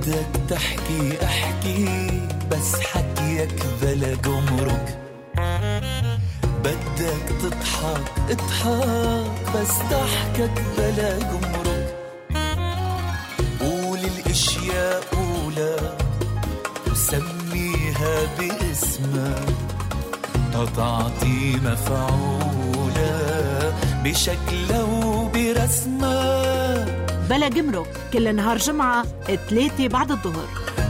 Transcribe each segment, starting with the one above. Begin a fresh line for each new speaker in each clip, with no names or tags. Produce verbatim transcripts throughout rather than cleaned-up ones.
بدك تحكي احكي بس حكيك بلا جمرك، بدك تضحك اضحك بس ضحكك بلا جمرك، قول الاشياء قولا وسميها باسمها تتعطي مفعولا بشكلها وبرسمها.
بلا جمرك كل نهار جمعة ثلاثة بعد الظهر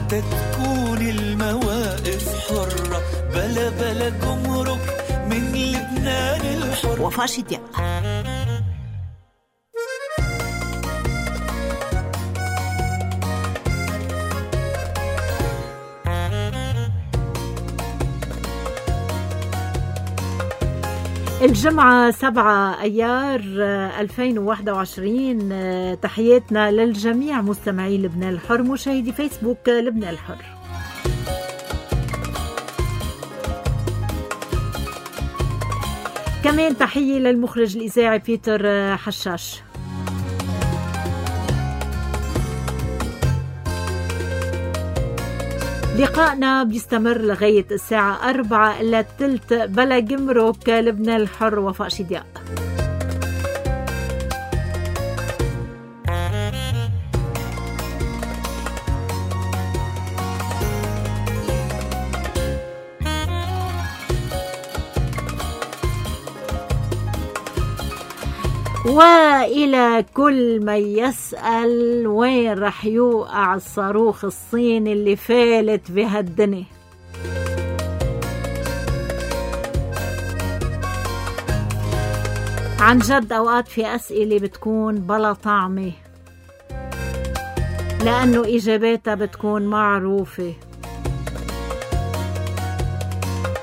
تتكون المواقف حرة بلا بلا جمرك من لبنان الحر.
وفاء شدياء. الجمعة سبعة أيار ألفين وواحد وعشرين. تحياتنا للجميع مستمعي لبنان الحر، مشاهدي فيسبوك لبنان الحر. كمان تحية للمخرج الإذاعي بيتر حشاش. لقائنا بيستمر لغاية الساعة أربعة إلا الثلث بلا جمرك لبنان الحر. وفاء شدياء. وإلى كل من يسأل وين رح يوقع الصاروخ الصيني اللي فالت بهالدنيا، عن جد أوقات في أسئلة بتكون بلا طعمة لأنه إجاباتها بتكون معروفة،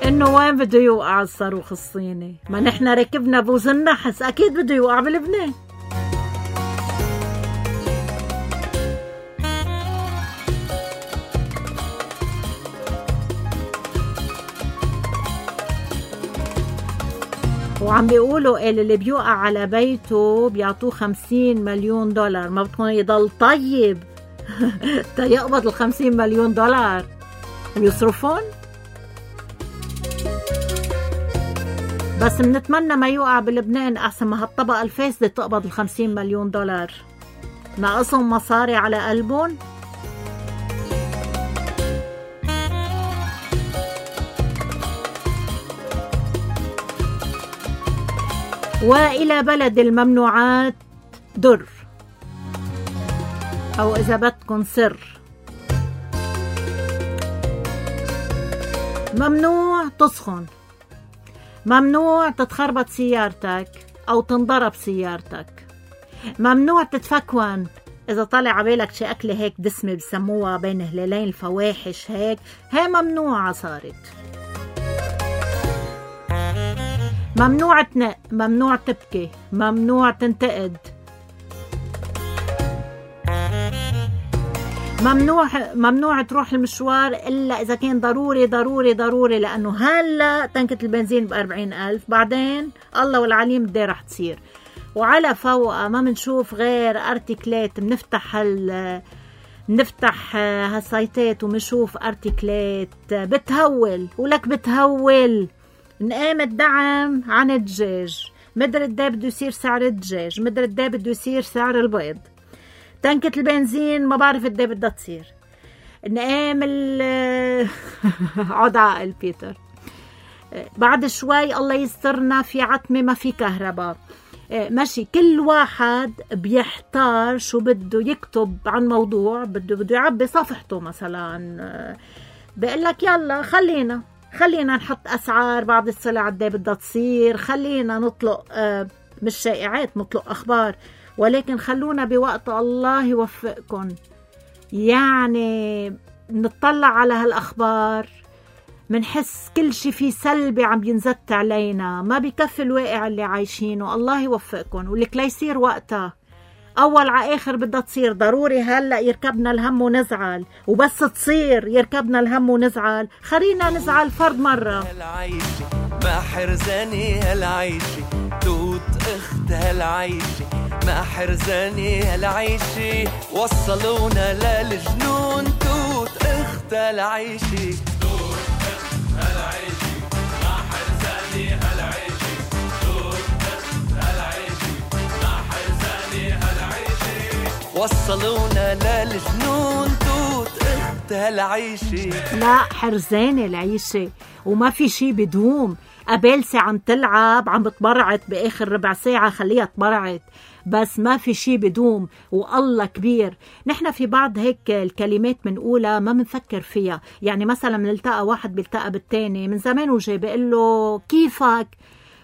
إنه وين بده يوقع الصاروخ الصيني؟ ما نحن ركبنا بوز النحس، أكيد بده يوقع بلبنان. وعم بيقولوا اللي بيوقع على بيته بيعطوه خمسين مليون دولار. ما بتكون يضل طيب تيقبض الخمسين مليون دولار ويصرفون؟ بس منتمنى ما يوقع بلبنان أحسن ما هالطبقة الفاسدة تقبض الخمسين مليون دولار. ناقصهم مصاري على قلبهم. وإلى بلد الممنوعات در، أو إذا بدكن سر، ممنوع تسخن، ممنوع تتخربط سيارتك أو تنضرب سيارتك، ممنوع تتفكون إذا طلع عبالك شي أكلة هيك دسمة بسموها بين هلالين الفواحش هيك، هي ممنوعة صارت. ممنوع تنق، ممنوع تبكي، ممنوع تنتقد، ممنوع ممنوع تروح المشوار إلا إذا كان ضروري ضروري ضروري، لأنه هلا تنكة البنزين بأربعين ألف، بعدين الله والعليم دي رح تصير. وعلى فوقها ما منشوف غير أرتيكلات، بنفتح هال نفتح هالسايتات ومنشوف أرتيكلات بتهول ولك بتهول. نقام الدعم عن الدجاج، مدر الدا بده يصير سعر الدجاج، مدر الدا بده يصير سعر البيض، تنكة البنزين ما بعرف الدا بدها تصير. نقام ال عود عقل بيتر، بعد شوي الله يسترنا في عتمة ما في كهرباء، ماشي. كل واحد بيحتار شو بده يكتب عن موضوع، بده بده يعبي صفحته مثلا، بيقول لك يلا خلينا خلينا نحط أسعار بعض السلع قد بدها تصير، خلينا نطلق آه مش شائعات، نطلق أخبار، ولكن خلونا بوقت الله يوفقكم. يعني نطلع على هالأخبار منحس كل شي فيه سلبي عم ينزت علينا، ما بيكفي الواقع اللي عايشينه. الله يوفقكم، ولك لا يصير وقتها أول ع آخر بدها تصير. ضروري هلأ يركبنا الهم ونزعل، وبس تصير يركبنا الهم ونزعل. خلينا نزعل فرد مرة.
هالعيشة ما حرزاني هالعيشة، توت اخت هالعيشة ما حرزاني هالعيشة، وصلونا للجنون توت اخت هالعيشة. توت اخت هالعيشة ما حرزاني هالعيشة، توت اخت هالعيشة ما حرزاني هالعيشة، وصلونا للجنون توت اخت هالعيشة.
لا حرزانة العيشة وما في شي بدوم. قبالسي عم تلعب عم بتبرعت بآخر ربع ساعة خليها تبرعت، بس ما في شي بدوم والله كبير. نحن في بعض هيك الكلمات منقولها ما منفكر فيها. يعني مثلا منلتقى واحد بيلتقى بالتاني من زمان وجاي بيقول له كيفك،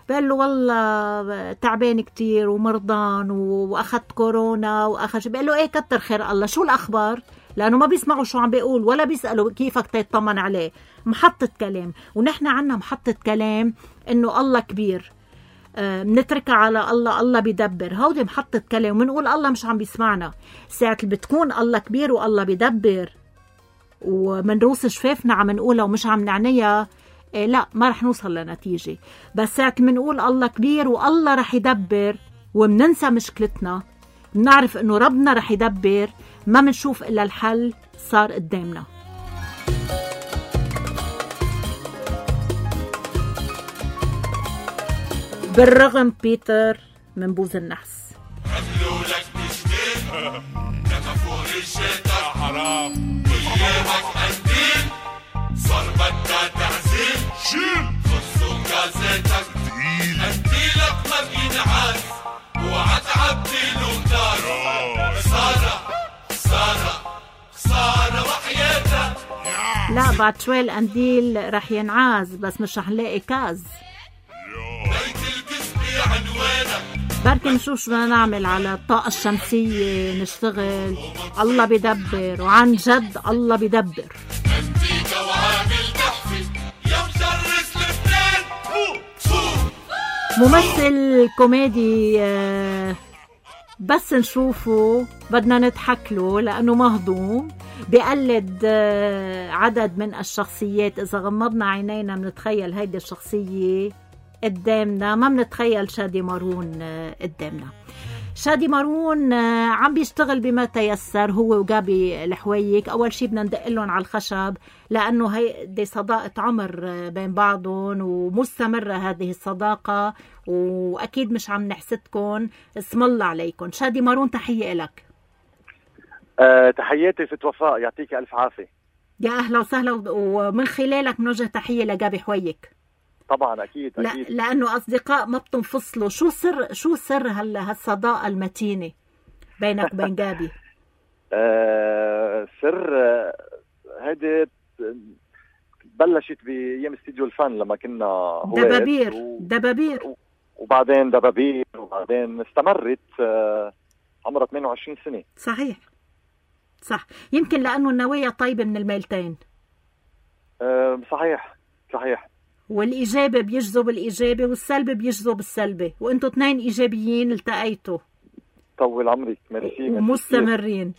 بقول له والله تعبان كتير ومرضان واخذت كورونا واخذ، بقول له ايه كتر خير الله، شو الاخبار؟ لانه ما بيسمعوا شو عم بيقول ولا بيسالوا كيفك تيطمن عليه. محطة كلام. ونحن عنا محطة كلام انه الله كبير، بنتركها على الله، الله بيدبر. هودي محطة كلام ونقول الله مش عم بيسمعنا. ساعة اللي بتكون الله كبير والله بيدبر ومنروس شفافنا عم نقولها ومش عم نعنيها، إيه لا ما رح نوصل لنتيجة. بس ساعة منقول الله كبير والله رح يدبر ومننسى مشكلتنا، بنعرف انه ربنا رح يدبر، ما منشوف الا الحل صار قدامنا. بالرغم بيتر من بوز النحس
قبلوا لك تشتين نففوا ريشتك حرام ويامك قنديل صار بدها تعزيل شيل خصوا جازتك تقيل قنديلك ما بينعاد وعتعبديله نار. خسارة خسارة خسارة وحياتك.
لا بعد شوي القنديل رح ينعاز بس مش رح نلاقي كاز.
بيت القسم عنوانك
بركي نشوف شو بدنا نعمل على الطاقة الشمسية نشتغل. الله بيدبر وعن جد الله بيدبر.
انتيكا وعامل تحفي يا مشرس لبنان.
ممثل كوميدي بس نشوفه بدنا نضحك له لأنه مهضوم، بيقلد عدد من الشخصيات. إذا غمضنا عينينا بنتخيل هيدي الشخصية قدامنا، ما بنتخيل شادي مارون قدامنا. شادي مارون عم بيشتغل بما تيسر هو وجابي الحويك. أول شي بدنا ندق لهم على الخشب لأنه هي دي صداقة عمر بين بعضهم ومستمرة هذه الصداقة، وأكيد مش عم نحسدكم. اسم الله عليكم. شادي مارون تحية لك.
أه تحياتي ست وفاء، يعطيك ألف عافية.
يا أهلا وسهلا، ومن خلالك بنوجه تحية لجابي حويك.
طبعا اكيد اكيد
لا لانه اصدقاء ما بتنفصلوا. شو سر شو سر هلا هالصداقه المتينه بينك وبين جابي؟
آه سر هيدي بلشت بايام استديو الفن لما كنا
دبابير
و...
دبابير
وبعدين دبابير وبعدين استمرت آه عمرها ثمانية وعشرين سنة.
صحيح صح، يمكن لانه النوايا طيبه من الميلتين.
آه صحيح صحيح.
والإيجابي بيجذب الإيجابي والسلبي بيجذب السلبي، وانتوا اثنين إيجابيين التقيتوا.
طول عمرك. ميرسي.
ومستمرين.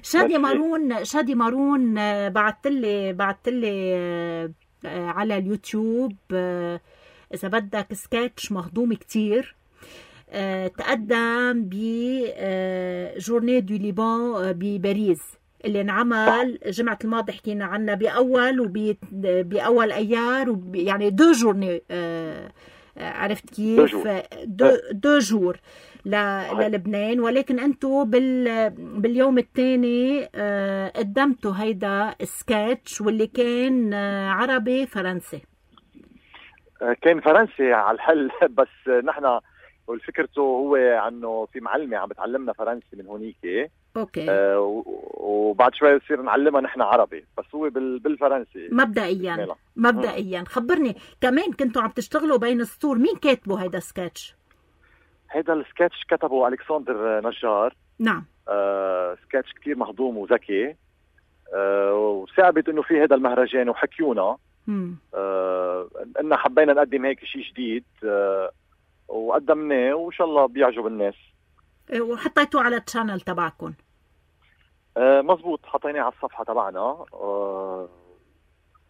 شادي مارون شادي مارون بعتلي بعتلي على اليوتيوب إذا بدك سكتش مهضوم كتير. تقدم بجورني دو ليبان بباريس اللي انعمل جمعة الماضي، حكينا عنها بأول وبأول أيار وب... يعني دو جورني. آه... عرفت كيف؟ دو, دو جور ل... للبنان. ولكن أنتوا بال... باليوم الثاني آه... قدمتوا هيدا سكتش واللي كان آه... عربي فرنسي.
كان فرنسي على الحل بس نحن والفكرته هو عنه في معلمة عم بتعلمنا فرنسي من هونيك. اوكي. آه وبعد شوي بصير نعلمها نحن عربي، بس هو بالفرنسي
مبدئيا. ميلا. مبدئيا خبرني كمان كنتوا عم تشتغلوا بين السطور، مين كاتبه هيدا سكتش؟
هيدا السكتش كتبه ألكسندر نجار.
نعم.
آه سكتش كتير مهضوم وذكي. آه وصعبت انه في هيدا المهرجان وحكيونا آه اننا حبينا نقدم هيك شيء جديد آه وقدمناه وإن شاء الله بيعجب الناس.
وحطيتوه على التشانل تبعكم؟
آه مزبوط، حطيناه على الصفحة تبعنا. آه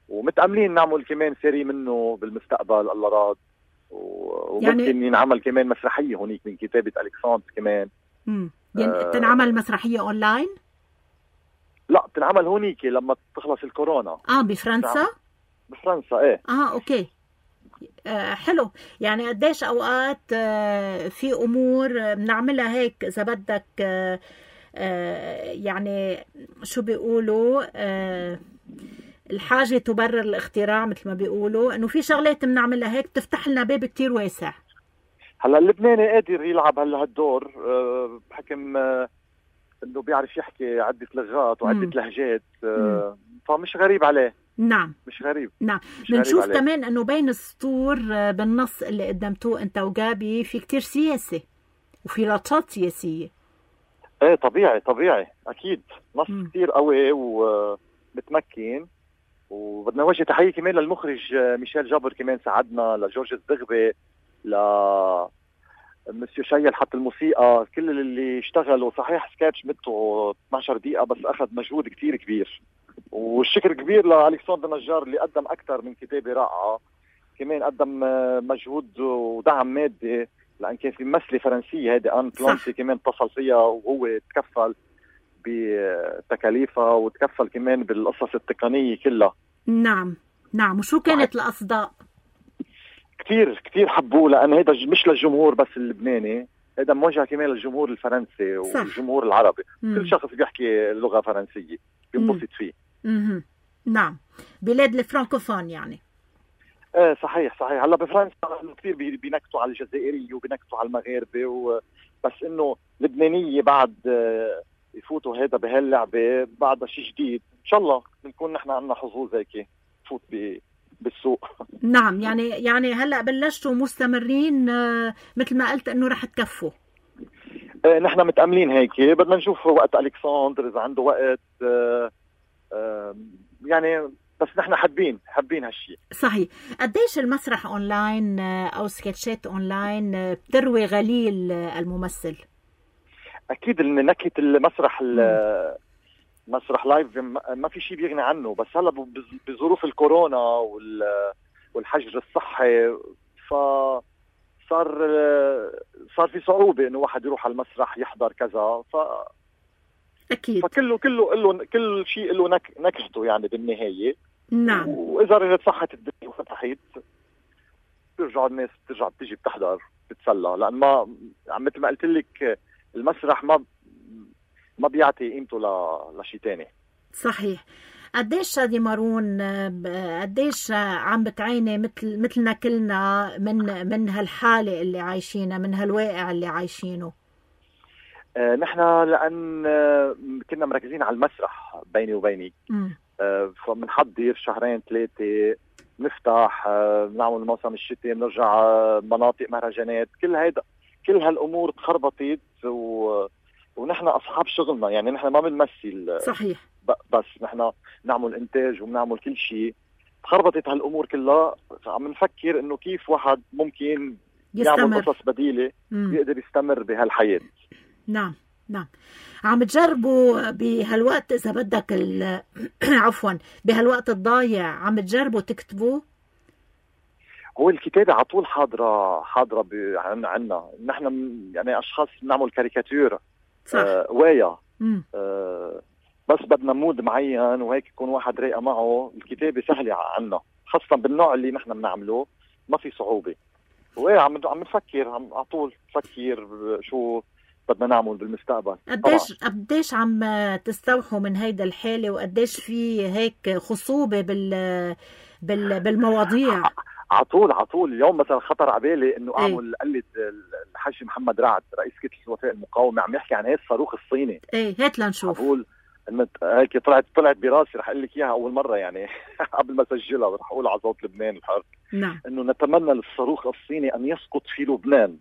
ومتأملين نعمل كمان سيري منه بالمستقبل الله راد، وممكن يعني ينعمل كمان مسرحية هونيك من كتابة ألكسندر كمان.
امم يعني آه تنعمل مسرحية أونلاين؟
لا، تنعمل هونيك لما تخلص الكورونا.
اه بفرنسا؟
بفرنسا ايه.
اه اوكي. آه حلو. يعني قديش اوقات آه في امور بنعملها هيك اذا بدك آه آه يعني شو بيقولوا آه الحاجة تبرر الاختراع مثل ما بيقولوا، انه في شغلات بنعملها هيك بتفتح لنا باب كتير واسع.
هلا اللبناني قادر يلعب هلا هالدور أه بحكم أه انه بيعرف يحكي عدة لغات وعدة مم. لهجات، أه فمش غريب عليه.
نعم
مش غريب.
نعم. بنشوف كمان انه بين السطور بالنص اللي قدمتوه انت وجابي في كتير سياسة وفي لطشات سياسية.
ايه طبيعي طبيعي اكيد، نص مم. كتير قوي ومتمكن. وبدنا نوجه تحية كمان للمخرج ميشيل جابر، كمان ساعدنا، لجورج الزغبي، ل مسيو شيل حط الموسيقى، كل اللي اشتغلوا. صحيح سكاتش مدته اثنعش دقيقة بس أخذ مجهود كتير كبير، والشكر كبير لألكسندر نجار اللي قدم أكثر من كتابة رائعة. كمان قدم مجهود ودعم مادي، لأن كان في ممثلة فرنسية هيدي آن بلانسي كمان اتصل فيها وهو تكفل بتكاليفها وتكفل كمان بالقصص التقنية كلها.
نعم نعم. وشو كانت الأصداء؟
كتير كتير حبوه، لأن هيدا مش للجمهور بس اللبناني، هيدا موجه كمان للجمهور الفرنسي والجمهور العربي. مم. كل شخص بيحكي لغة فرنسية بينبسط فيه.
مم. نعم، بلاد الفرانكوفون يعني.
ايه صحيح صحيح. هلا بفرنسا كثير بينكتوا على الجزائرية وبينكتوا على المغاربة و... بس انه لبنانية بعد يفوتوا هيدا بهاللعبة بعدها شيء جديد. ان شاء الله بنكون نحن عنا حظوظ هيك نفوت ب... بالسوق.
نعم. يعني يعني هلا بلشتوا مستمرين مثل ما قلت انه رح تكفوا.
ايه نحن متأملين هيك، بدنا نشوف وقت ألكسندر اذا عنده وقت. اه اه يعني بس نحن حابين حابين هالشيء.
صحيح. قديش المسرح اونلاين او سكتشات اونلاين بتروي غليل الممثل؟ اكيد
ان نكهة المسرح مسرح لايف ما في شيء بيغني عنه، بس هلا بظروف الكورونا والحجر الصحي فصار صار في صعوبة انه واحد يروح على المسرح يحضر كذا. ف
اكيد
فكله كله له كل شيء له نك... نكهته يعني بالنهاية.
نعم.
واذا رجعت صحت الدنيا وفتحت بيرجعوا الناس بترجع بتيجي بتحضر بتسلى، لان ما مثل ما قلت لك المسرح ما ما بيعطي قيمته ل... لشيء تاني.
صحيح. قديش شادي مارون قديش عم بتعيني مثل مثلنا كلنا من من هالحالة اللي عايشينها، من هالواقع اللي عايشينه؟
آه نحن لأن آه كنا مركزين على المسرح بيني وبينك، آه فبنحضر شهرين ثلاثة نفتح، آه نعمل موسم الشتاء، بنرجع آه مناطق مهرجانات، كل هيدا كل هالأمور تخربطت و... ونحن أصحاب شغلنا، يعني نحن ما بنمثل.
صحيح.
بس نحن نعمل إنتاج وبنعمل كل شيء، تخربطت هالأمور كلها. عم نفكر إنه كيف واحد ممكن يستمر. يعمل قصص بديلة مم. يقدر يستمر بهالحياة.
نعم نعم. عم تجربوا بهالوقت إذا بدك ال... عفوا بهالوقت الضايع عم تجربوا تكتبوا؟
هو الكتابة على طول حاضرة حاضرة ب... عنا نحن يعني أشخاص بنعمل كاريكاتير.
صح.
آه وايا آه بس بدنا مود معين وهيك يكون واحد رايقة معه. الكتابة سهلة عنا خاصة بالنوع اللي نحن بنعمله، ما في صعوبة. وايه عم عم نفكر عم على طول نفكر شو بدنا نعمل بالمستقبل.
قديش قديش عم تستوحوا من هيدا الحالة، وقديش في هيك خصوبة بال بال بالمواضيع؟
على طول على طول. اليوم مثلا خطر على بالي انه ايه؟ اعمل قلد الحاج محمد رعد رئيس كتلة الوفاء المقاومة عم يحكي عن هي الصاروخ الصيني.
ايه هات لنشوف.
بقول هيك طلعت طلعت براسي، رح اقول لك اياها اول مرة يعني قبل ما اسجلها رح اقول على صوت لبنان الحر.
نعم.
انه نتمنى للصاروخ الصيني ان يسقط في لبنان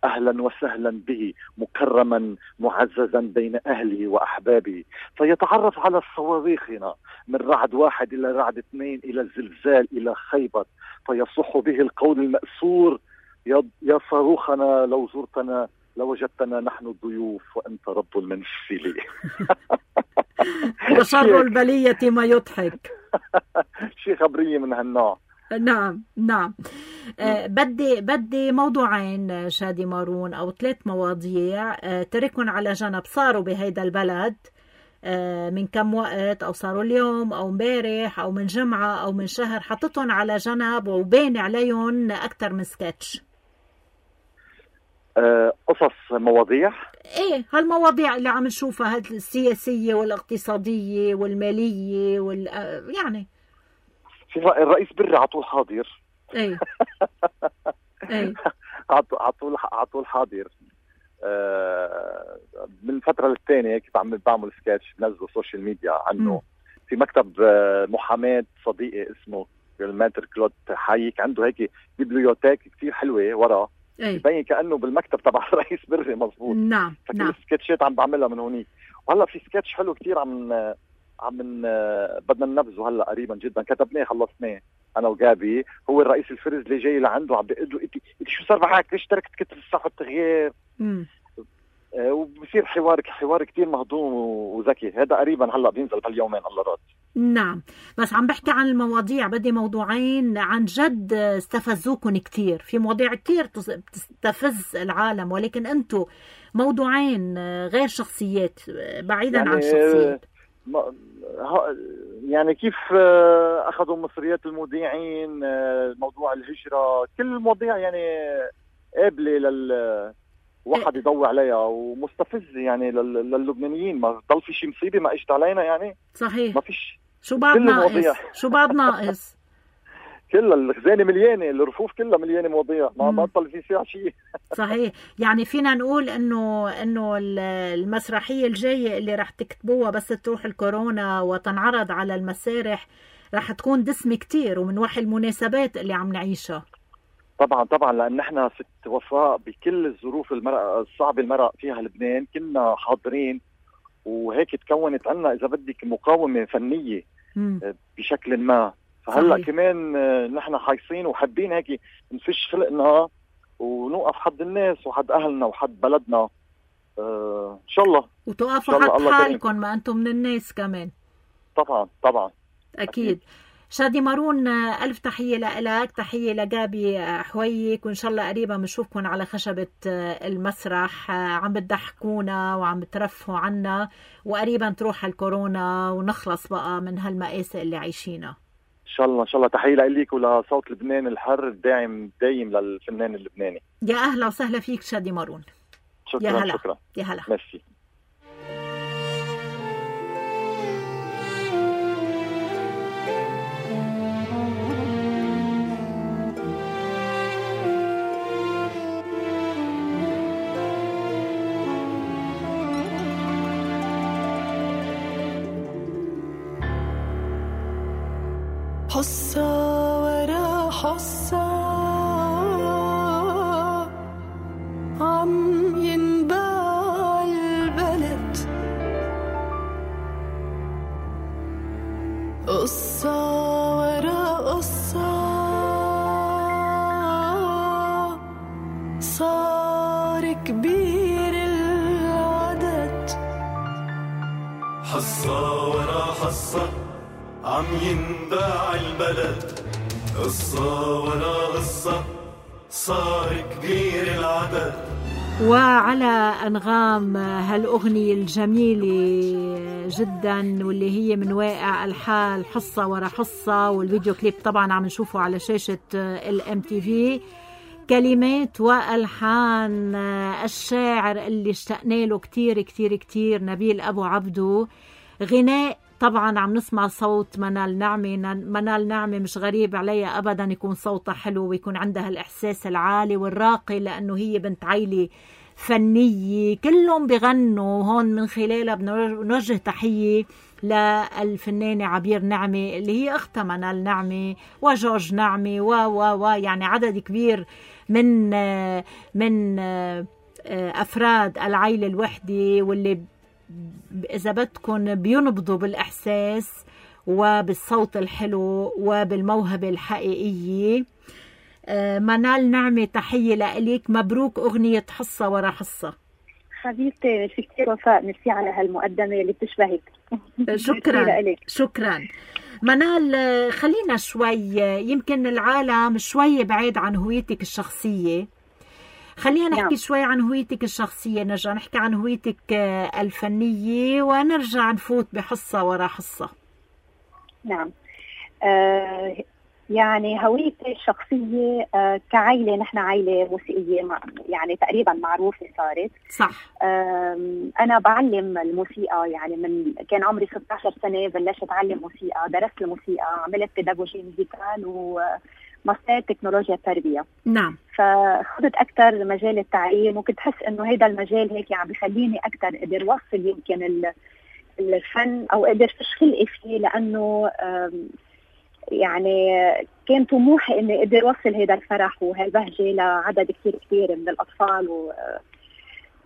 أهلا وسهلا به مكرما معززا بين أهله وأحبابه، فيتعرف على صواريخنا من رعد واحد إلى رعد اثنين إلى الزلزال إلى خيبر، فيصح به القول المأسور يا صاروخنا لو زرتنا لوجدتنا نحن الضيوف وأنت رب المنزل.
وشر البلية ما يضحك.
شيء خبرية من هالنوع.
نعم نعم. آه بدي بدي موضوعين شادي مارون أو ثلاث مواضيع آه تركن على جنب، صاروا بهيدا البلد آه من كم وقت، أو صاروا اليوم أو مبارح أو من جمعة أو من شهر، حطتهم على جنب وبين عليهم أكتر من سكتش.
آه قصص مواضيع
ايه هالمواضيع اللي عم نشوفها، هاد السياسية والاقتصادية والمالية وال يعني
في الرئيس بري على طول حاضر.
ايه ايه
على طول على طول حاضر. آه من فترة للتانية هيك بعمل بعمل سكتش بنزله سوشيال ميديا عنه. م. في مكتب محاماة صديقي اسمه الماتر كلود حايك، عنده هيك بيبليوتيك كتير حلوة ورا، يبين كأنه بالمكتب تبع الرئيس بري مظبوط.
نعم
فكل
نعم.
السكتشات عم بعملها من هونيك. وهلا في سكتش حلو كتير عم عم بدنا ننفذه هلا قريبا جدا، كتبناه خلصناه انا وجابي. هو الرئيس الفرز اللي جاي لعنده عم بيقول له انت شو صار معك، ليش تركت كتب الصح والتغيير؟ امم آه وبصير حوار حوار كتير مهضوم وذكي. هذا قريبا هلا بينزل بهاليومين الله راد.
نعم، بس عم بحكي عن المواضيع، بدي موضوعين عن جد استفزوكم كتير. في مواضيع كتير بتستفز العالم، ولكن انتو موضوعين غير شخصيات، بعيدا يعني عن الشخصيات.
يعني كيف اخذوا مصريات المذيعين، موضوع الهجرة، كل المواضيع يعني قابلة لل واحد يضوي عليها ومستفز يعني للبنانيين. ما ضل في شيء مصيبة ما اجت علينا يعني.
صحيح.
ما فيش.
شو بعد ناقص؟ شو بعد ناقص؟
كلها الخزانة مليانة، الرفوف كلها مليانة مواضيع، ما ما بطل في فيها شيء.
صحيح. يعني فينا نقول انه انه المسرحية الجاية اللي رح تكتبوها بس تروح الكورونا وتنعرض على المسارح رح تكون دسمة كتير ومن وحي المناسبات اللي عم نعيشها.
طبعا طبعا، لان احنا ست وفاء بكل الظروف المرأة الصعبة المرأة فيها لبنان كنا حاضرين، وهيك تكونت عنا اذا بدك مقاومة فنية م. بشكل ما. فهلا صحيح. كمان نحن حايصين وحابين هيك نفش خلقنا ونوقف حد الناس وحد اهلنا وحد بلدنا. آه ان شاء الله.
وتوقفوا حد حالكم، ما انتم من الناس كمان.
طبعا طبعا
اكيد, أكيد. شادي مارون، ألف تحية لك، تحية لجابي حويك، وإن شاء الله قريبا بنشوفكم على خشبة المسرح عم بتضحكونا وعم بترفهوا عنا، وقريبا تروح الكورونا ونخلص بقى من هالمآسي اللي عايشينها.
إن شاء الله إن شاء الله. تحية لك ولصوت لبنان الحر الداعم دايم للفنان اللبناني.
يا أهلا وسهلا فيك شادي مارون.
شكرا
يا هلا.
شكرا.
يا هلا.
ميرسي.
حصة ورا حصة عم ينباع البلد، قصة ورا قصة صار كبير العدد.
حصة ورا حصة عم ينباع البلد، قصة ولا قصة صار كبير العدد.
وعلى أنغام هالأغنية الجميلة جدا واللي هي من واقع الحال، حصة ورا حصة، والفيديو كليب طبعا عم نشوفه على شاشة الام تي في. كلمات وألحان الشاعر اللي اشتقنا له كتير كتير كتير نبيل أبو عبدو. غناء طبعا عم نسمع صوت منال نعمة. منال نعمة مش غريب عليها أبدا يكون صوتها حلو ويكون عندها الإحساس العالي والراقي، لأنه هي بنت عائلة فنية كلهم بغنوا هون. من خلالها بنوجه تحية للفنانة عبير نعمة اللي هي أختها منال نعمة وجورج نعمة و و و يعني عدد كبير من من أفراد العائلة الوحدة، واللي إذا بدكن بينبضوا بالإحساس وبالصوت الحلو وبالموهبة الحقيقية. منال نعمة تحية لإليك، مبروك أغنية حصة ورا حصة.
حبيبتي في كتير وفاء، ميرسي على هالمقدمة اللي بتشبهك.
شكرا شكرا منال. خلينا شوي، يمكن العالم شوي بعيد عن هويتك الشخصية، خلينا نحكي نعم. شوي عن هويتك الشخصية، نرجع نحكي عن هويتك الفنية ونرجع نفوت بحصة ورا حصة.
نعم آه يعني هويتي الشخصية آه كعائلة، نحن عائلة موسيقية يعني تقريبا معروفة صارت.
صح.
آه أنا بعلم الموسيقى، يعني من كان عمري ستة عشر سنة بلشت أتعلم موسيقى، درست الموسيقى، عملت بيداغوجي ميوزيكال وماستر تكنولوجيا التربية.
نعم.
فخذت أكثر مجال التعليم، وكنت حس إنه هذا المجال هيك عم بخليني أكثر أقدر وصل يمكن الفن أو أقدر فش خلقي فيه، لأنه يعني كان طموحي إني أقدر وصل هذا الفرح وهالبهجة لعدد كثير كثير من الأطفال، و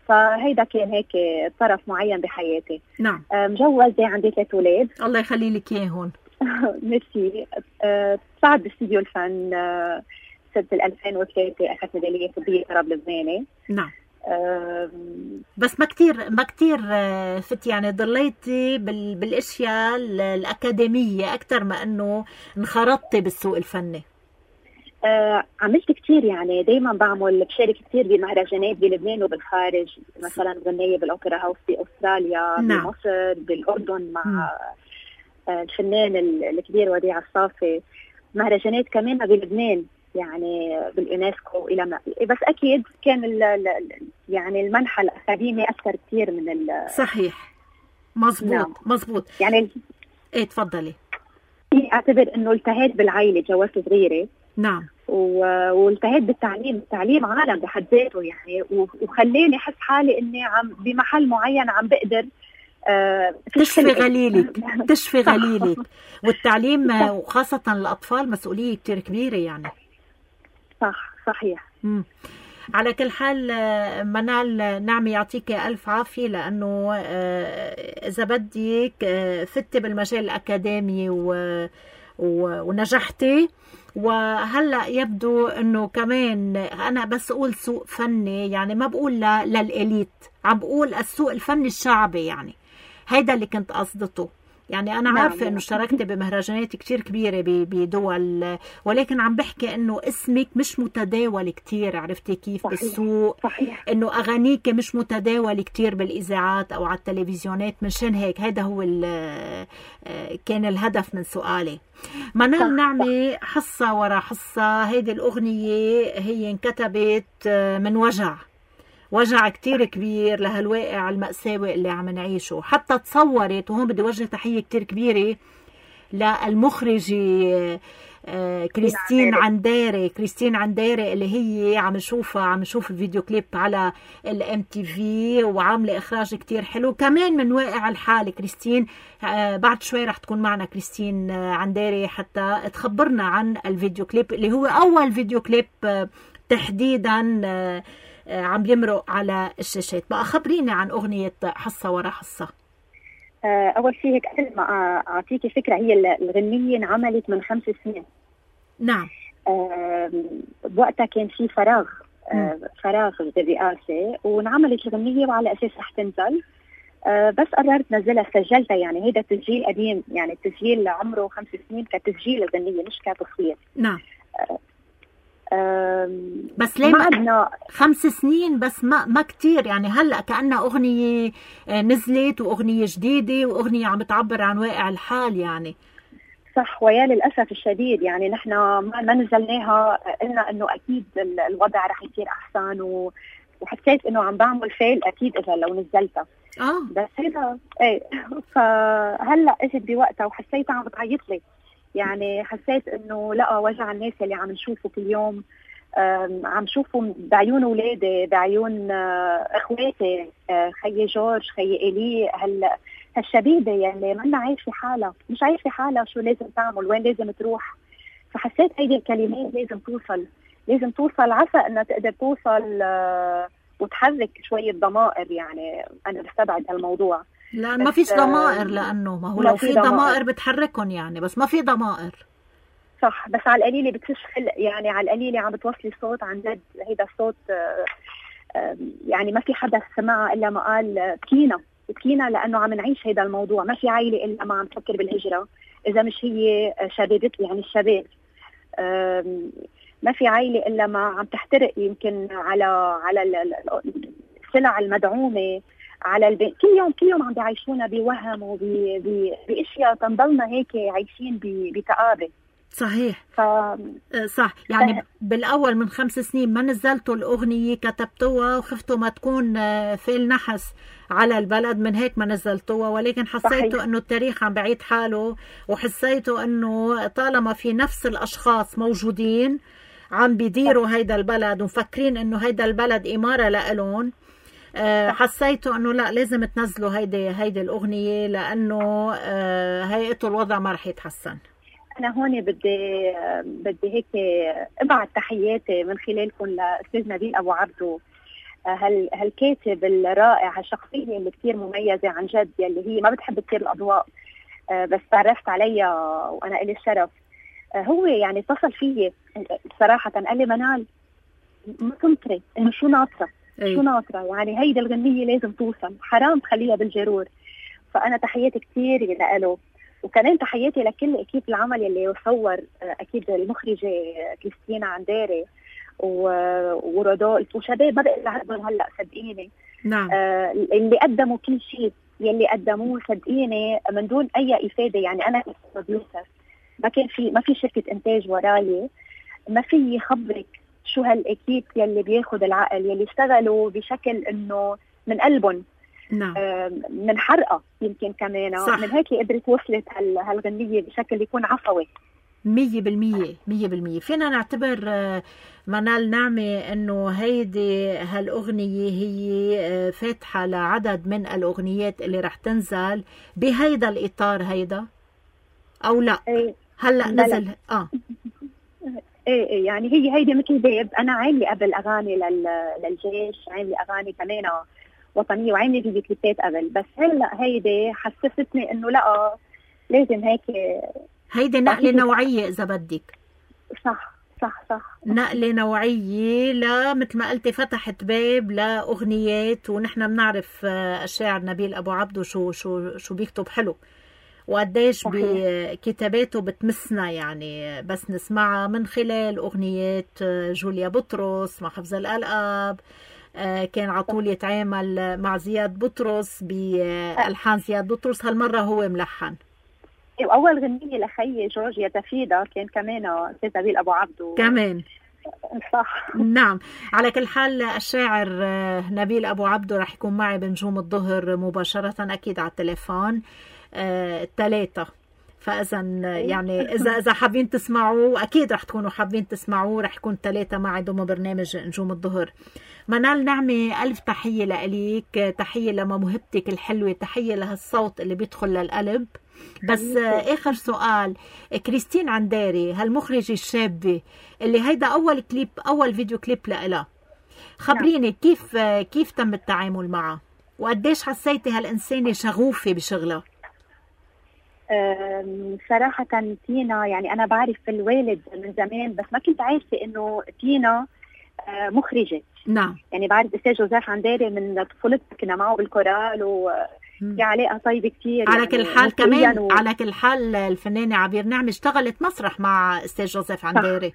فهيدا كان هيك طرف معين بحياتي.
نعم.
مجوزة، عندي ثلاث أولاد.
الله يخلي لك إياهم.
ميرسي. صعد باستديو الفن سنة ألفين وثلاثة، أخذت ميدالية طبية طرب لبناني.
نعم. بس ما كتير ما كتير فت يعني ضليتي بال بالاشياء الاكاديميه اكثر ما انه انخرطتي بالسوق الفني.
آه عملت كتير، يعني دايما بعمل بشارك كتير بمهرجانات بلبنان وبالخارج، مثلا غنية بالاوبرا هاوس باستراليا. نعم. بمصر، بالاردن مع آه الفنان الكبير وديع الصافي، مهرجانات كمان بلبنان يعني باليونسكو الى ما بس اكيد كان ال يعني المنحى الاكاديمي اثر كثير من ال
صحيح. مزبوط. نعم. مزبوط.
يعني
ايه تفضلي.
اعتبر انه التهيت بالعائله، جوزت صغيره.
نعم.
والتهيت بالتعليم، التعليم عالم بحد ذاته يعني، وخلاني احس حالي اني عم بمحل معين عم بقدر آه
تشفي غليلك تشفي غليلك والتعليم وخاصه الاطفال مسؤوليه كثير كبيره يعني.
صح صحيح.
مم. على كل حال منال نعمة يعطيك ألف عافية، لأنه إذا بدك فتي بالمجال الأكاديمي ونجحتي، وهلأ يبدو أنه كمان أنا بس أقول سوق فني، يعني ما بقول للإليت، عم بقول السوق الفني الشعبي، يعني هيدا اللي كنت قصدته. يعني أنا عارفة إنه اشتركت بمهرجانات كتير كبيرة بدول، ولكن عم بحكي إنه اسمك مش متداول كتير، عرفتي كيف؟ صحيح. بالسوق.
صحيح.
إنه أغانيك مش متداول كتير بالإذاعات أو على التلفزيونات، منشان هيك هذا هو كان الهدف من سؤالي. منال نعمة، حصة ورا حصة، هيدي الأغنية هي انكتبت من وجع وجع كتير كبير لهالواقع المأساوي اللي عم نعيشه. حتى تصورت، وهون بدي وجه تحية كتير كبيرة للمخرجة كريستين عنداري كريستين عنداري اللي هي عم نشوفها عم نشوف الفيديو كليب على الام تي في، وعامله اخراج كتير حلو كمان من واقع الحال. كريستين بعد شوي رح تكون معنا كريستين عنداري حتى تخبرنا عن الفيديو كليب اللي هو اول فيديو كليب تحديدا عم يمرق على الشاشات. بقى خبريني عن أغنية حصة ورا حصة.
أول شيء هيك قبل ما أعطيكي فكرة، هي الغنية انعملت من خمس سنين.
نعم.
بوقتها كان في فراغ فراغ بالرئاسة، وانعملت الغنية وعلى أساس رح تنزل، بس قررت نزلها، سجلتها. يعني هيدا تسجيل قديم، يعني التسجيل عمره خمس سنين كتسجيل الغنية مش كتصوير.
نعم. بس ليه ما خمس سنين بس ما ما كتير يعني. هلا كأنها أغنية نزلت وأغنية جديدة وأغنية عم تعبر عن واقع الحال يعني.
صح، ويا للأسف الشديد يعني نحن ما نزلناها، قلنا إنه أكيد الوضع رح يصير أحسن، و... وحسيت إنه عم بعمل فيل أكيد إذا لو نزلتها.
آه.
بس هذا إيه، فهلا إجت بوقتها وحسيتها عم بتعيط لي، يعني حسيت انه لا، وجع الناس اللي عم نشوفه كل يوم، عم شوفه بعيون اولادي، بعيون اخواتي، خيي جورج، خيي الي، هال هالشبيبه يلي منا عايشه حالها، مش عايشه حالها، شو لازم تعمل، وين لازم تروح. فحسيت هيدي الكلمات لازم توصل لازم توصل عسى انها تقدر توصل وتحرك شويه ضمائر. يعني انا بستبعد هالموضوع،
لا ما فيش ضمائر، لأنه ما هو لو في ضمائر بتحركهم يعني، بس ما في ضمائر.
صح، بس على القليله بتفش خلق، يعني على القليله عم بتوصلي صوت عن جد. هيدا الصوت يعني ما في حدا سمعها الا ما قال بكينا بكينا، لانه عم نعيش هيدا الموضوع. ما في عائله الا ما عم تفكر بالهجره اذا مش هي شبابت، يعني الشباب. ما في عائله الا ما عم تحترق يمكن على على السلع المدعومه، على البيت. كل يوم كل يوم عم بيعيشونا بوهم وباشياء تنضلنا هيك عايشين بكآبه.
صحيح.
ف...
صح، يعني ف... بالاول من خمس سنين ما نزلتوا الاغنيه، كتبتوها وخفتوا ما تكون فيل نحس على البلد، من هيك ما نزلتوها. ولكن حسيتوا انه التاريخ عم بعيد حاله، وحسيتوا انه طالما في نفس الاشخاص موجودين عم بيديروا هيدا البلد ومفكرين انه هيدا البلد اماره لإلهم، حسيتوا انه لا لازم تنزلوا هيدي هيدي الاغنيه، لانه هيئته الوضع ما رح يتحسن.
أنا هون بدي بدي هيك أبعت تحياتي من خلالكم لأستاذ نبيل أبو عبدو، هال هالكاتب الرائع، هالشخصية اللي كتير مميزة عن جد، يلي هي ما بتحب كتير الأضواء، بس تعرفت عليها وأنا إلي الشرف. هو يعني اتصل فيي صراحة، قال لي منال ما تنطري إنه شو ناطرة شو ناطرة، يعني هيدا الغنية لازم توصل، حرام تخليها بالجرور. فأنا تحياتي كتير لإله، وكمان تحياتي لكل اكيد العمل اللي صور، اكيد المخرجه كريستينا عنداري ورودولف وشباب ما بقدر اعدهم هلا صدقيني.
نعم.
آه اللي قدموا كل شيء يلي قدموه صدقيني من دون اي افاده. يعني انا كبروديوسر ما كان في ما في شركه انتاج وراي، ما في خبرك شو هالاكيد يلي بياخذ العقل، يلي اشتغلوا بشكل انه من قلبهم.
نعم.
من حرقة يمكن كمان. صح. من هيك قدرت وصلت هالغنية بشكل يكون عفوي
مية بالمية مية بالمية. فينا نعتبر منال نعمة انه هيدي هالأغنية هي فاتحة لعدد من الأغنيات اللي رح تنزل بهيدا الإطار هيدا أو لا؟
ايه
هلأ نزل اه
ايه ايه يعني هي هيدي مثل باب. انا عاملة قبل اغاني للجيش، عاملة اغاني كمان وطنية، وعاملة فيديو كليبات قبل، بس هلا هيدي حسستني انه لا لازم هيك.
هيدي نقلة نوعية إذا بدك.
صح صح صح
نقلة نوعية، لا مثل ما قلتي فتحت باب لأغنيات، ونحن بنعرف الشاعر نبيل أبو عبدو شو شو شو بيكتب حلو، وقديش بكتاباته بتمسنا، يعني بس نسمعها من خلال أغنيات جوليا بطرس مع حفظ الألقاب. كان عطول يتعامل مع زياد بطرس بألحان زياد بطرس، هالمرة هو ملحن.
وأول غنية لخي جورجيا تفيدا كان كمان أستاذ نبيل أبو عبدو كمان. صح.
نعم. على كل حال الشاعر نبيل أبو عبدو رح يكون معي بنجوم الظهر مباشرة أكيد على التليفون الثلاثة، فإذا يعني إذا إذا حابين تسمعوه أكيد رح تكونوا حابين تسمعوه، رح يكون ثلاثة معي ضمن برنامج نجوم الظهر. منال نعمة ألف تحية لإليك، تحية لموهبتك الحلوة، تحية لهالصوت اللي بيدخل للقلب. بس آخر سؤال، كريستين عنداري هالمخرجة الشابة اللي هيدا أول كليب أول فيديو كليب لإلها، خبريني كيف كيف تم التعامل معها، وقديش حسيتي هالإنسانة شغوفة بشغلها؟
صراحة تينا يعني أنا بعرف الوالد من زمان، بس ما كنت عارفة إنه تينا مخرجة.
نعم.
يعني بعرف أستاذ جوزيف عنداري من طفولتنا، كنا معه بالكورال وفي علاقة طيبة كتير.
على
يعني
كل حال كمان و... على كل حال الفنانة عبير نعمة اشتغلت مسرح مع أستاذ جوزيف عنداري،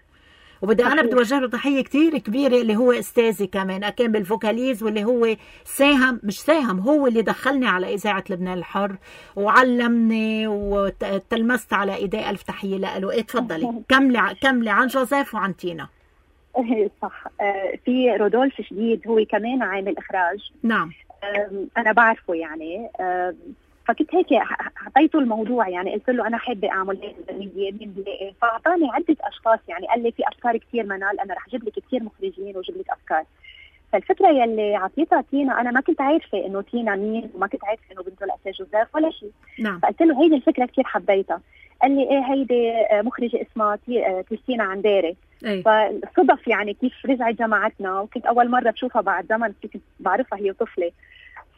وبدي أنا بدي أوجه له تحية كتير كبيرة، اللي هو أستاذي كمان كان بالفوكاليز، واللي هو ساهم مش ساهم هو اللي دخلني على إذاعة لبنان الحر وعلمني وتلمست على إيديه. ألف تحية له. إيه تفضلي كملي كملي عن جوزيف وعن تينا.
صح. في رودولف شديد هو كمان عامل إخراج.
نعم.
أنا بعرفه يعني، فكنت هيك حطيته الموضوع، يعني قلت له أنا حابة أعمل هيك الغنية مين بلاقي، فأعطاني عدة أشخاص، يعني قال لي في أفكار كتير منال، أنا رح أجيب لك كتير مخرجين وأجيب لك أفكار. فالفكرة يلي عطيتها تينا أنا ما كنت عارفة إنه تينا مين، وما كنت عارفة إنه بنته لأستاذ جوزيف ولا شيء.
نعم.
فقلت له هيدي الفكرة كتير حبيتها. قال لي إيه هيدي مخرجة اسمها كريستينا عنداري.
أي.
فصدف يعني كيف رجعت جماعتنا، وكنت أول مرة بشوفها بعد زمن، كنت بعرفها هي طفلة.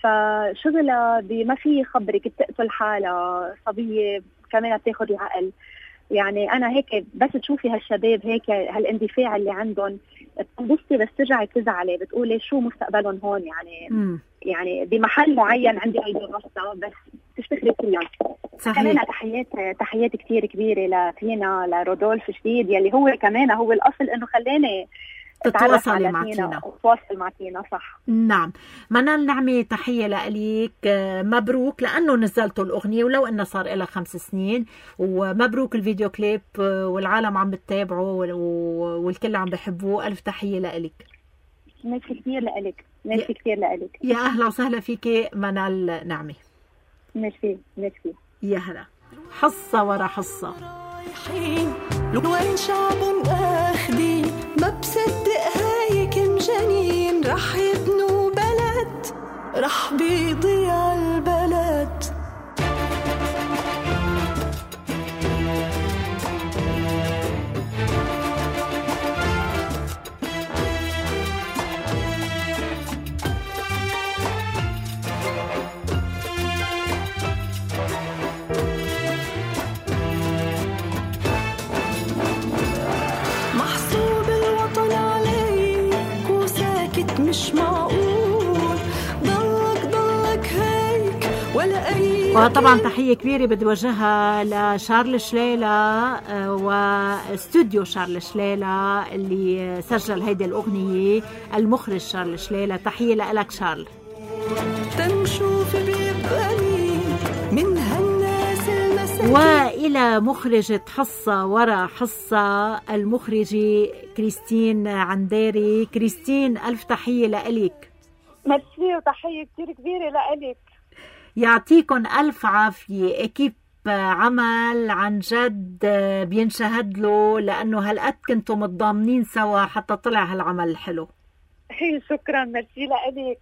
فشغلها بما في خبرك بتقتل حالها، صبية كمان بتاخد العقل. يعني انا هيك بس تشوفي هالشباب هيك هالاندفاع اللي عندهم بتنبسطي، بس ترجعي تزعلي بتقولي شو مستقبلهم هون يعني. م. يعني بمحل معين عندي هيدي الغصة بس تشتغلي كلها. كمان تحيات تحيات كتير كبيرة لتينا لرودولف جديد يلي هو كمان هو الأصل إنه خلاني
تتواصلي مع تينا
تتواصل مع تينا. صح.
نعم. منال نعمة تحية لأليك، مبروك لأنه نزلتوا الأغنية ولو إنه صار إلها خمس سنين، ومبروك الفيديو كليب والعالم عم بتتابعه والكل عم بحبوه. ألف تحية لأليك.
ميرسي كتير لأليك. ميرسي كتير لأليك.
يا أهلا وسهلا فيك منال نعمة.
ميرسي ميرسي.
يا هلا. حصة ورا حصة
وين شعب آخدين ما بصدق هاي كم جنين رح يبنوا بلد رح بيضيع البلد. مش معقول ضلك ضلك هيك ولا أي.
وطبعا تحية كبيرة بدي وجهها لشارل شليلة واستوديو شارل شليلة اللي سجل هيدي الأغنية، المخرج شارل شليلة. تحية لك شارل.
تنشوف بيبقني من هالناس المساكين.
وإلى مخرجة حصة ورا حصة المخرجة كريستين عنداري. كريستين ألف تحية لأليك.
ميرسي وتحية كتير كبيرة لأليك.
يعطيكم ألف عافية. أكيب عمل عن جد بينشهد له لأنه هالقد كنتوا متضامنين سوا حتى طلع هالعمل الحلو.
شكرا. ميرسي لأليك.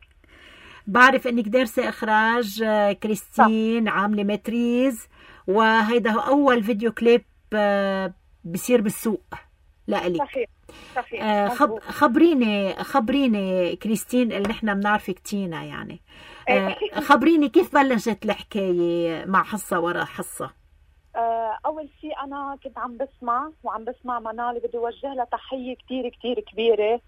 بعرف انك دارسة اخراج كريستين، عاملة ماتريز، وهيدا هو اول فيديو كليب بصير بالسوق لأليك.
صحيح صحيح.
خب خبريني خبريني كريستين اللي نحن بنعرفك تينا يعني. خبريني كيف بلشت الحكاية مع حصة ورا حصة.
اول شيء انا كنت عم بسمع وعم بسمع منال، بدي اوجه لها تحية كتير كتير كبيرة،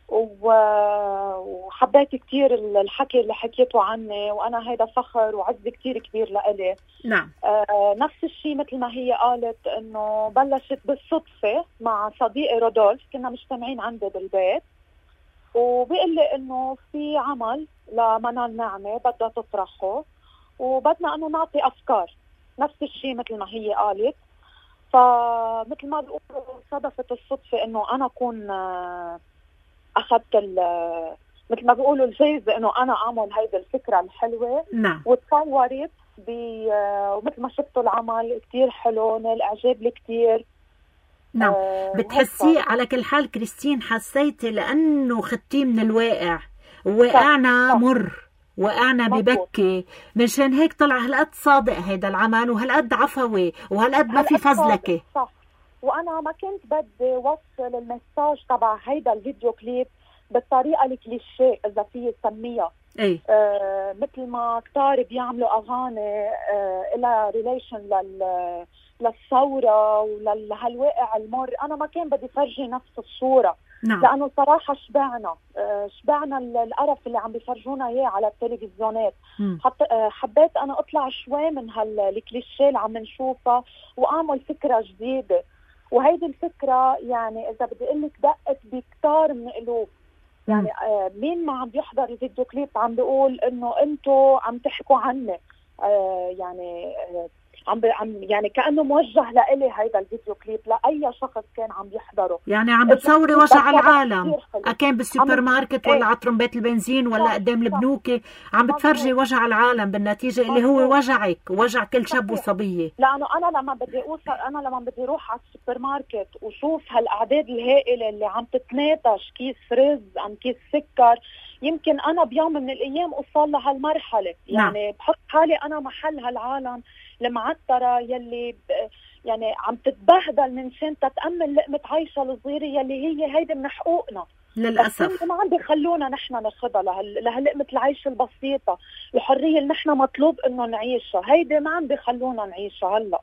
وحبيت كتير الحكي اللي حكيته عني، وأنا هيدا فخر وعز كتير كبير لإلي.
نعم.
آه نفس الشيء مثل ما هي قالت إنه بلشت بالصدفة مع صديقي رودولف، كنا مجتمعين عنده بالبيت وبيقول لي إنه في عمل لمنال نعمة بدها تطرحه وبدنا إنه نعطي أفكار. نفس الشيء مثل ما هي قالت، فمثل ما بقول صدفت الصدفة إنه أنا أكون آه أخذت مثل ما بيقولوا الجايزة إنه أنا أعمل هيدا الفكرة الحلوة.
نعم.
وتصورت ومثل ما شفتوا العمل كتير حلو، نال إعجاب لي كتير.
نعم. آه بتحسي على كل حال كريستين حسيتي لأنه خدتيه من الواقع، وقعنا مر وقعنا ببكي، منشان هيك طلع هالقد صادق هيدا العمل وهالقد عفوي وهالقد ما في فزلكة.
صح. وانا ما كنت بدي وصل المساج تبع هيدا الفيديو كليب بالطريقه الكليشيه اذا في سميها.
اي
آه مثل ما كتار بيعملوا اغاني آه الى ريليشن لل للثوره ولهالواقع المر. انا ما كان بدي فرجي نفس الصوره.
نعم.
لانه صراحه شبعنا آه شبعنا القرف اللي عم بيفرجونا اياه على التلفزيونات. حتى آه حبيت انا اطلع شوي من هالكليشيه اللي عم نشوفها واعمل فكره جديده. وهيدي الفكرة يعني إذا بدي أقول لك دقت بكتار من قلوب. يعني آه مين ما عم بيحضر الفيديو كليب عم بيقول إنه أنتوا عم تحكوا عني. آه يعني آه عم عم يعني كأنه موجه لإلي هيدا الفيديو كليب لأي شخص كان عم يحضره.
يعني عم بتصوري وجع العالم، أكان بالسوبر ماركت ولا على طرمبات البنزين ولا قدام البنوكة، عم بتفرجي وجع العالم بالنتيجة اللي هو وجعك وجع كل شاب وصبية.
لأنه أنا لما بدي أوصل أنا لما بدي أروح على السوبر ماركت وشوف هالأعداد الهائلة اللي عم تتناتش كيس رز عم كيس سكر، يمكن أنا بيوم من الأيام أوصل لهالمرحلة. يعني نعم. بحط حالي أنا محل هالعالم المعترة يلي ب... يعني عم تتبهدل من شان تتأمل لقمة عيشة الصغيرة يلي هي هيدا من حقوقنا
للأسف.
ما عم بيخلونا نحن ناخدها لهال... لهاللقمة العيش البسيطة، الحرية اللي نحن مطلوب إنه نعيشها، هيدا ما عم بيخلونا نعيشها. هلا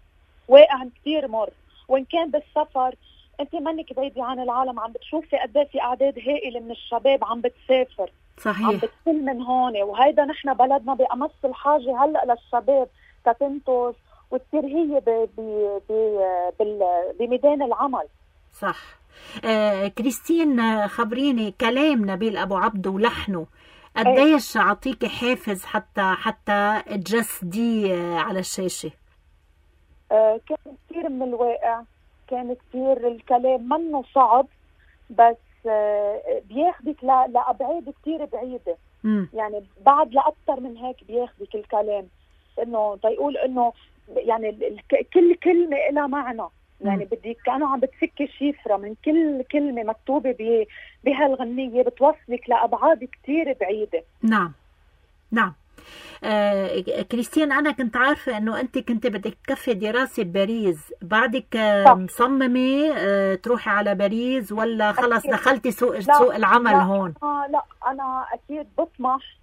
واقع كتير مر وإن كان بالسفر أنت منك بعيدة عن العالم، عم بتشوفي قد ايه في أعداد هائلة من الشباب عم بتسافر،
صحيح، عم
بتكون من هون. وهيدا نحن بلدنا بأمس الحاجة هلأ للشباب تتنتج وتصير هي ب ب بميدان العمل.
صح. آه كريستين، خبريني كلام نبيل أبو عبدو ولحنه قديش عطيكي حافز حتى حتى تجسدي على الشاشة؟
آه كان كثير من الواقع، كان كثير الكلام منه صعب، بس آه بياخدك لأبعاد كثير بعيدة. م. يعني بعد لأكثر من هيك بياخدك الكلام، انه تيقول انه يعني كل كلمة لها معنى. يعني بدك كأنه عم بتفكي شفرة من كل كلمة مكتوبة بهالغنية، بتوصلك لأبعاد كتير بعيدة.
نعم نعم. آه كريستين، أنا كنت عارفة أنه أنت كنت بدك تكفي دراسة بباريس، بعدك آه مصممة آه تروحي على باريس ولا خلص دخلتي سوق سوق العمل
لا
هون؟
آه لا، أنا أكيد بطمح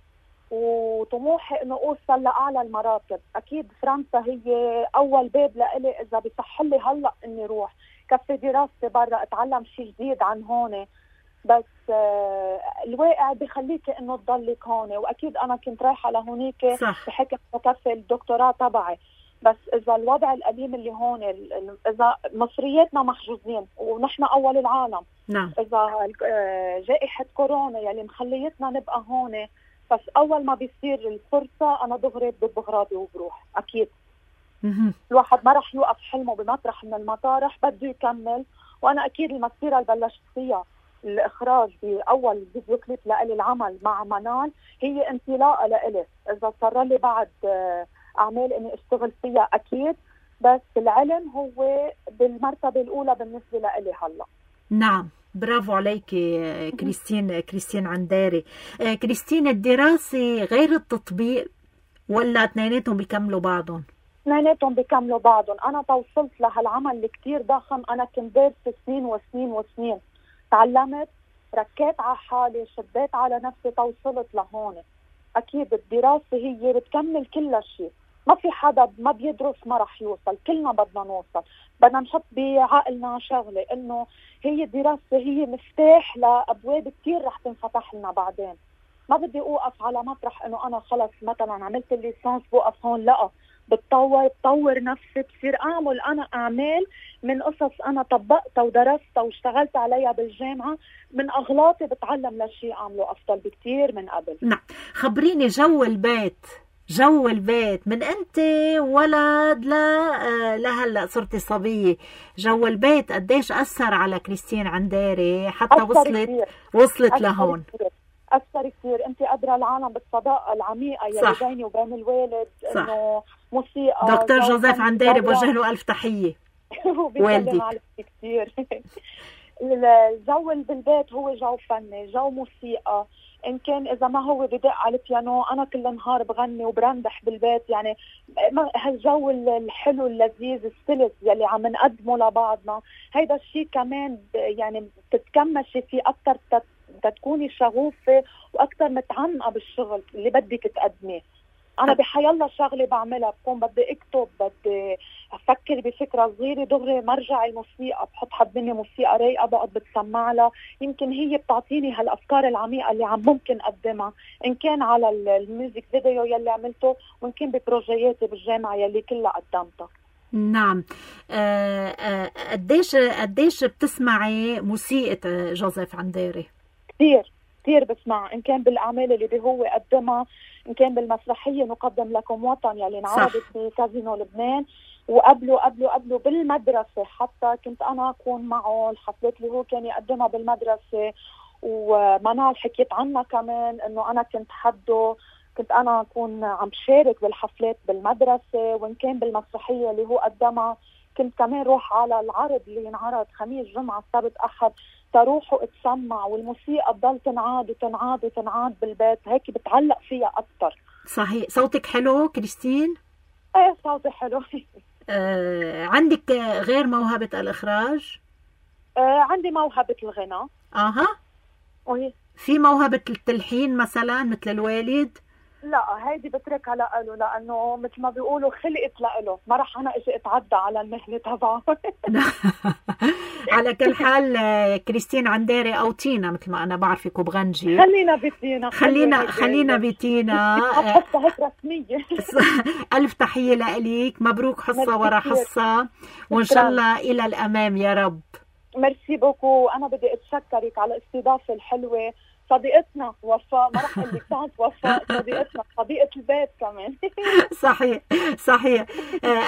وطموحي انه اوصل لاعلى المراتب. اكيد فرنسا هي اول باب لإلي اذا بيصح لي هلا اني روح كفي دراستي برا اتعلم شيء جديد عن هون، بس آه الواقع بخليكي انه تضلك هون. واكيد انا كنت رايحه لهونيك بحكم انه كفي الدكتوراه تبعي، بس اذا الوضع الأليم اللي هون، اذا مصرياتنا محجوزين ونحن اول العالم،
نعم،
اذا جائحه كورونا يلي مخليتنا نبقى هون، بس أول ما بيصير الفرصة أنا دغري ببغراضي وبروح. أكيد الواحد ما رح يوقف حلمه بمطرح من المطارح، بده يكمل. وأنا أكيد المسيرة اللي بلشت فيها الإخراج بأول فيديو كليب لإلي العمل مع منال هي انطلاقة لإلي. إذا صار لي بعد أعمال إني أشتغل فيها أكيد، بس العلم هو بالمرتبة الأولى بالنسبة لإلي هلأ.
نعم، برافو عليكي كريستين كريستين عنداري. كريستين، الدراسة غير التطبيق ولا اثنيناتهم بيكملوا بعضهم؟
اثنيناتهم بيكملوا بعضهم. أنا توصلت لهالعمل اللي كتير ضخم، أنا كنت دارسة سنين وسنين وسنين، تعلمت، ركيت على حالي، شديت على نفسي، توصلت لهون. أكيد الدراسة هي بتكمل كل شيء، ما في حدا ما بيدرس ما رح يوصل، كلنا بدنا نوصل. بدنا نحط بعقلنا شغلة انه هي الدراسة هي مفتاح لأبواب كتير رح تنفتح لنا بعدين. ما بدي اوقف على مطرح انه انا خلص مثلا عملت الليسانس بوقف هون، لا، بتطور بطور نفسي، بصير اعمل انا اعمال من قصص انا طبقتها ودرستها واشتغلت عليها بالجامعة، من اغلاطي بتعلم لشيء اعمله افضل بكتير من قبل.
نعم، خبريني جو البيت جو البيت من انت ولد لا لهلا صرتي صبيه، جو البيت قديش اثر على كريستين عنداري حتى وصلت كتير. وصلت أثر لهون
كتير. اثر كثير. انت قادره العالم بالصداقه العميقه يلي بيني وبين الوالد، انه موسيقى.
دكتور جوزيف عنداري بوجه له الف تحيه.
والدي عليك كثير. الجو بالبيت هو جو فني، جو موسيقى. إن كان إذا ما هو بدق على البيانو أنا كل نهار بغني وبرندح بالبيت. يعني هالجو الحلو اللذيذ السلس يلي عم نقدمه لبعضنا، هيدا الشيء كمان يعني تتكمشي فيه أكتر، تتكوني شغوفة وأكتر متعمقة بالشغل اللي بدك تقدميه. أنا بحيالله شغلة بعملها، بكون بدي أكتب، بدي أفكر بفكرة صغيرة، دغري مرجع الموسيقى، بحط حدني موسيقى رايقة بقعد بتسمع لها، يمكن هي بتعطيني هالأفكار العميقة اللي عم ممكن أقدمها، إن كان على الميوزك فيديو يلي عملته، وإن كان ببروجياتي بالجامعة يلي كلها قدمتها.
نعم. قديش قديش بتسمعي موسيقى جوزيف عنداري؟
كثير كثير بسمع، إن كان بالأعمال اللي هو قدمها، إن كان بالمسرحية نقدم لكم وطن يلي انعرضت في كازينو لبنان، وقبله قبله قبله بالمدرسة حتى كنت أنا أكون معه الحفلات اللي هو كان يقدمها بالمدرسة. ومنال حكيت عنها كمان إنه أنا كنت حده، كنت أنا أكون عم شارك بالحفلات بالمدرسة، وإن كان بالمسرحية اللي هو قدمها كنت كمان روح على العرض اللي ينعرض خميس جمعة سبت أحد تروح وتسمع، والموسيقى تضل تنعاد وتنعاد وتنعاد بالبيت، هيك بتعلق فيها أكتر.
صحيح. صوتك حلو كريستين؟
ايه صوتي حلو.
آه، عندك غير موهبة الإخراج؟
آه، عندي موهبة الغناء.
اها.
وهي
في موهبة التلحين مثلا مثل الوالد؟
لا هيدي بتركها لأله، لأنه مثل ما بيقولوا خلقت لأله، ما رح أنا إجي أتعدى على المهنة تبعه.
على كل حال كريستين عنديري أو تينا مثل ما أنا بعرفك وبغنجي،
خلينا بتينا
خلينا خلينا بتينا.
حتى هيك رسمية.
ألف تحية لإليك، مبروك حصة ورا حصة، وإن شاء الله إلى الأمام يا رب.
ميرسي بوكو، أنا بدي أتشكرك على الاستضافة الحلوة. صديقتنا وفاء، ما رح أقول لك بس وفاء، صديقتنا صديقة البيت كمان.
صحيح صحيح.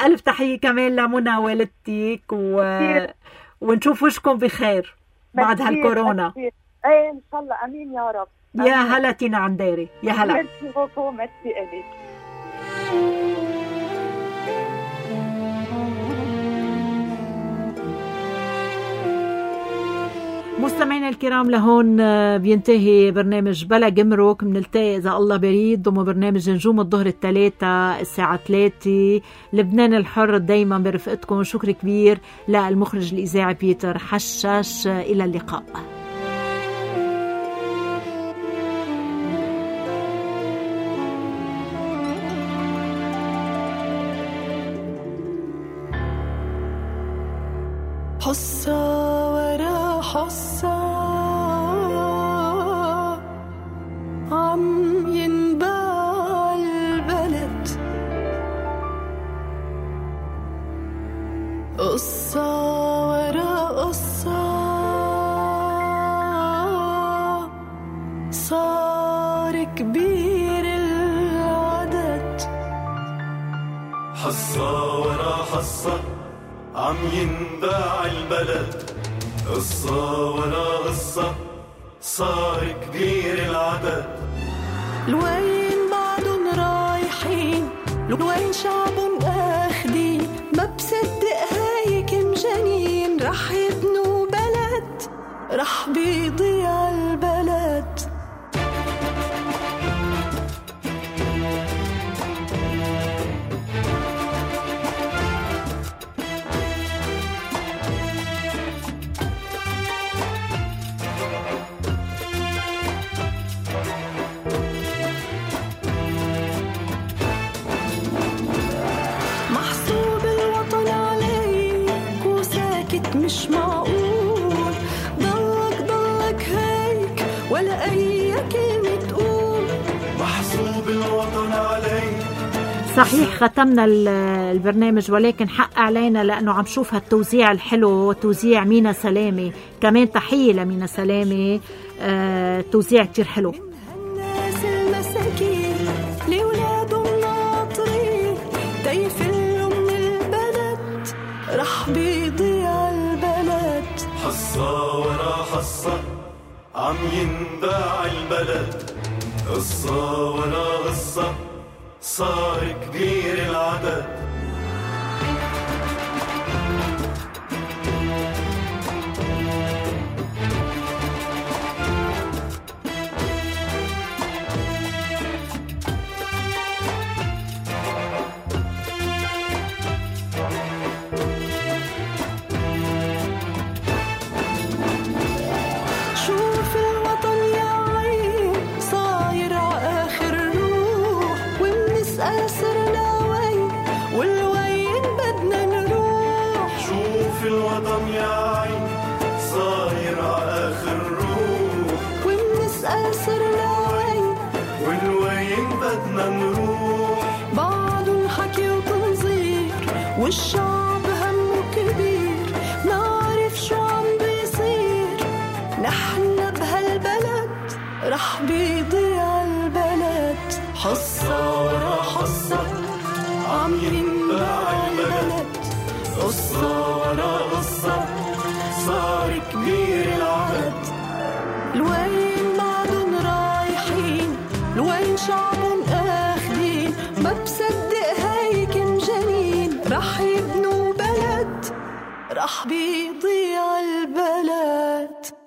ألف تحية كمان لمنى والدتك، و... ونشوف وشكم بخير بعد هالكورونا.
ايه ان شاء الله، امين يا رب.
يا هلا تينا عنديري، يا هلا.
ميرسي بوكو، ميرسي إليك.
مستمعينا الكرام، لهون بينتهي برنامج بلا جمرك. منلتقي إذا الله بريد ضمن برنامج نجوم الظهر الثلاثة الساعة ثلاثة. لبنان الحر دايما برفقتكم. شكر كبير للمخرج الإذاعي بيتر حشاش. إلى اللقاء.
حصة ورا حصة عم ينباع البلد، قصة ورا قصة صار كبير العدد.
حصة ورا حصة عم ينباع البلد، قصة ورا قصة صار كبير العدد.
لوين بعدن رايحين، لوين شعبن اخدين، ما بصدق هاي كم جنين رح يبنوا بلد، رح بيضيع البلد. مش معقول ضلك ضلك هيك ولا أي كلمة تقول،
محسوب الوطن عليك.
صحيح ختمنا البرنامج، ولكن حق علينا لأنه عم شوف هالتوزيع الحلو، توزيع مينا سلامة. كمان تحية لمينا سلامة، آه توزيع كتير حلو.
الناس المساكين لولادهم ناطرين تيفلوا من البلد، رح بيضيع البلد.
حصة ورا حصة عم ينباع البلد، قصة ورا قصة صار كبير العدد.
والشعب همه كبير، نعرف شو عم بيصير. نحن بهالبلد رح بيضيع البلد. حصة ورا حصة عم ينباع البلد، قصة ورا قصة صار كبير العدد. لوين بعدن رايحين، لوين شعبن اخدين، ما بصدق هاي كم جنين رح يبنوا بلد، رح بيضيع البلد.